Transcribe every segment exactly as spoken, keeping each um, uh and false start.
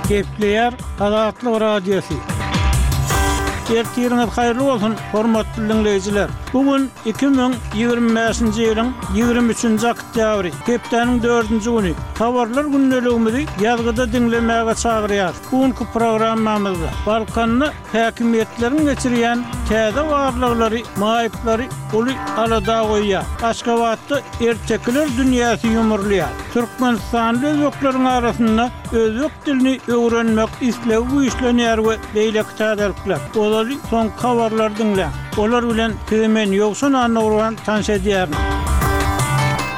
Gepleýär Azatlyk Radiosy. Ertiriňiz haýyrly bolsun, hormatly diňleýjiler! Bu gün iki müň ýigrimi bäşinji ýylyň ýigrimi üçünji oktýabry, hepdäniň dördünji güni. Habarlar gündeligimizi ýazgyda diňlemäge çagyrýarys. Bu günki programmamyzda Balkanda häkimiýetleriň geçirýän täze barlaglary maýyplary uly alada goýýar. Aşgabatda ertekiler dünýäsi ýumrulýar. Türkmenistanly özbekleriň arasynda özbek dilini öwrenmek islegi güýçlenýär we beýleki täzelikler. Ozaly soňky habarlary diňläň. Olar bilen sizi men Ýowşan Annagurban tanyş edýärin.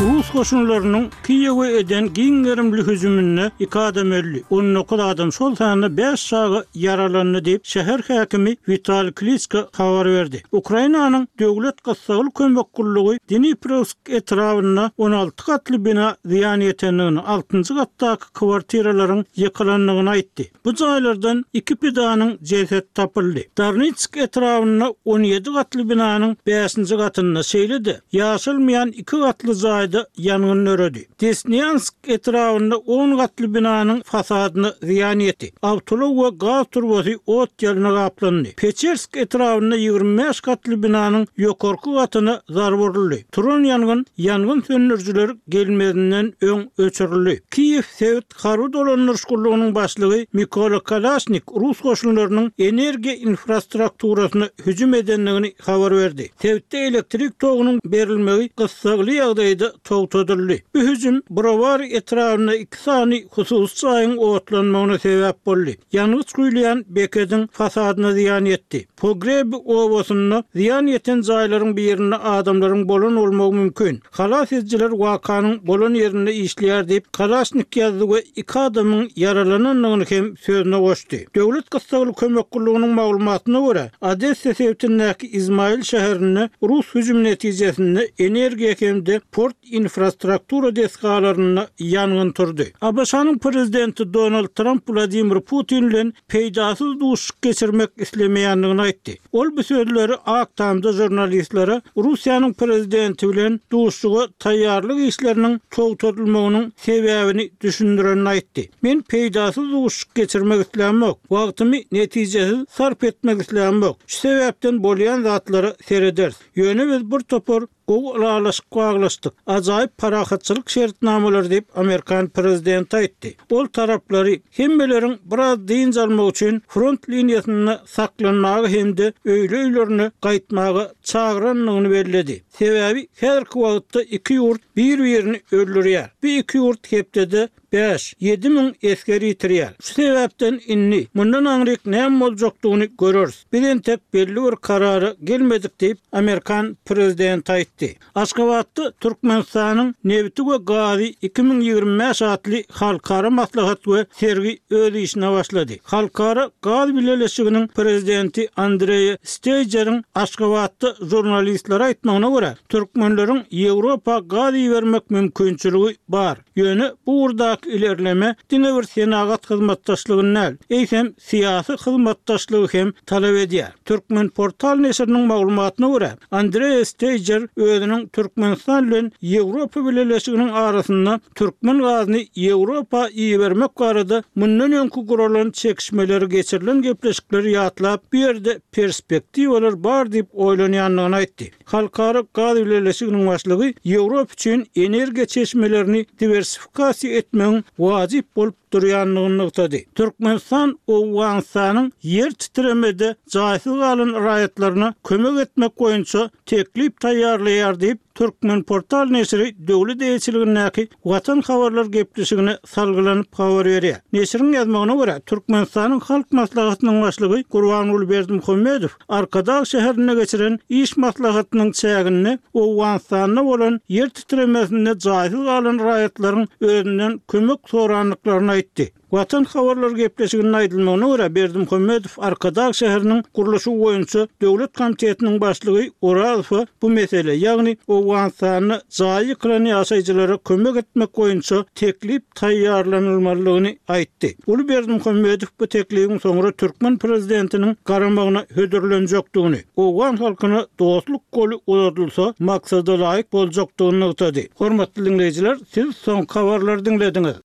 Rus goşunlarynyň Kiýewe eden giň gerimli hüjüminde iki adam öldi, on dokuz adam, şol sanda bäş çaga ýaralandy diýip, şäher häkimi Witaliý Kliçko habar berdi. Ukrainanyň Döwlet gyssagly kömek gullugy Dniprowsk etrabynda on alty gatly bina zyýan ýetendigini, altynjy gatdaky kwartiralaryň ýykylandygyny aýtdy. Bu jaýlardan iki pidanyň jesedi tapyldy. Darnitsk etrabynda on ýedi gatly binanyň bäşinji gatynda, şeýle-de ýaşalmaýan iki gatly jaýda ýangyn döredi. Desnýansk etrabynda on gatly binanyň fasadyna zyýan ýetdi. Awtoulag we gaz turbasy ot ýalyna gaplandy. Peçersk etrabynda ýigrimi bäş gatly binanyň ýokarky gatyna zarba uruldy. Turan ýangyn ýangyn söndürijiler gelmezinden öň öçürildi. Kiýew sebit harby dolandyryş gullugynyň başlygy Mikola Kalaşnik rus goşunlarynyň energiýa infrastrukturasyna hüjüm edendigini habar berdi. Sebitde elektrik togunyň berilmegi gyssagly ýagdaýda togtadyldy. Bu hüjüm Browary etrabynda iki sany hususy jaýyň otlanmagyna sebäp boldy. Ýangyç guýulýan bekediň fasadyna zyýan ýetdi. Pogrebi obasynda zyýan ýeten jaýlaryň birinde adamlaryň bolan bolmagy mümkin. Halas edijiler wakanyň bolan ýerinde işleýär diýip, Kalaşnik ýazdy we iki adamyň ýaralanandygyny hem sözüne goşdy. Döwlet gyssagly kömek gullugynyň maglumatyna görä, Odessa sebitindäki Izmail şäherinde rus hüjümi netijesinde energiýa hem-de port infrastruktura desgalarynda ýangyn turdy. ABŞ-nyň prezidenti Donald Tramp Wladimir Putin bilen peýdasyz duşuşyk geçirmek islemeýändigini aýtdy. Ol bu sözleri Ak Tamda žurnalistlere Russiýanyň prezidenti bilen duşuşyga taýýarlyk işleriniň togtadylmagynyň sebäbini düşündirenini aýtdy. Men peýdasyz duşuşyk geçirmek islämok, wagtymy netijesiz sarp etmek islämok. Şu sebäpden bolýan zatlara serederis. Ýöne biz bir topar gowy ylalaşyk baglaşdyk, ajaýyp parahatçylyk şertnamalary diýip, amerikan prezidenti aýtdy. Ol taraplary hemmeleriň biraz dynç almak üçin front liniýasynda saklanmaga hem-de öýli-öýlerine gaýtmaga çagyrandygyny belledi. Sebäbi häzirki wagtda iki ýurt bir-birini öldürýär. Bu iki ýurt hepdede bäş, ýedi müň esger ýitirýär. Şu sebäpden indi mundan aňryk näme boljakdygyny göreris. Biz entek belli bir karara gelmedik diýip, amerikan prezidenti aýtdy. Aşgabatda Türkmenistanyň nebiti we gazy iki müň ýigrimi bäş atly halkara maslahat we sergi öz işine başlady. Halkara gaz bileleşiginiň prezidenti Andreýa Steýjeriň Aşgabatda žurnalistlere aýtmagyna görä, türkmenleriň Ýewropa gaz ibermek mümkinçiligi bar. Ýöne bu ugurdaky ilerleme diňe bir senagat hyzmatdaşlygyny däl, eýsem syýasy hyzmatdaşlygy hem talap edýär. Türkmenportal neşiriniň maglumatyna görä, Andreas Steýjer özüniň Türkmenistan bilen Ýewropa Bileleşiginiň arasynda türkmen gazyny Ýewropa ibermek barada mundan öňki guralan çekişmeleri geçirilen gepleşikleri ýatlap, bu ýerde perspektiwalar bar diýip oýlanýandygyny aýtdy. Halkara gaz bileleşiginiň başlygy Ýewropa üçin energiýa çeşmelerini diwersifikasiýa etmegiň wajyp bolup durýandygyny nygtady. Türkmenistan Owganystanyň ýer titremede jaýsyz galan raýatlaryna kömek etmek boýunça teklip taýýarlaýar diýip, Türkmenportal neşiri döwlet eýeçiligindäki Watan habarlar gepleşigine salgylanyp habar berýär. Neşiriň ýazmagyna görä, Türkmenistanyň Halk Maslahatynyň Başlygy Gurbanguly Berdimuhamedow Arkadag şäherinde geçiren iş maslahatynyň çäginde Owganystanda bolan ýer titremesinde jaýsyz galan raýatlaryň özünden kömek sorandyklaryny aýtdy. Watan habarlar gepleşiginde aýdylmagyna görä, Berdimuhamedow Arkadag şäheriniň gurluşygy boýunça döwlet komitetiniň başlygy Orazowa bu mesele, ýagny Owganystanda jaýy ýykylan ýaşaýjylara kömek etmek boýunça teklip taýýarlanylmalydygyny aýtdy. Uly Berdimuhamedow bu teklibiň soňra türkmen prezidentiniň garamagyna hödürlenjekdigini, owgan halkyna dostluk goly uzadylsa, maksada laýyk boljakdygyny nygtady. Hormatly diňleýjiler, siz soňky habarlary diňlediňiz.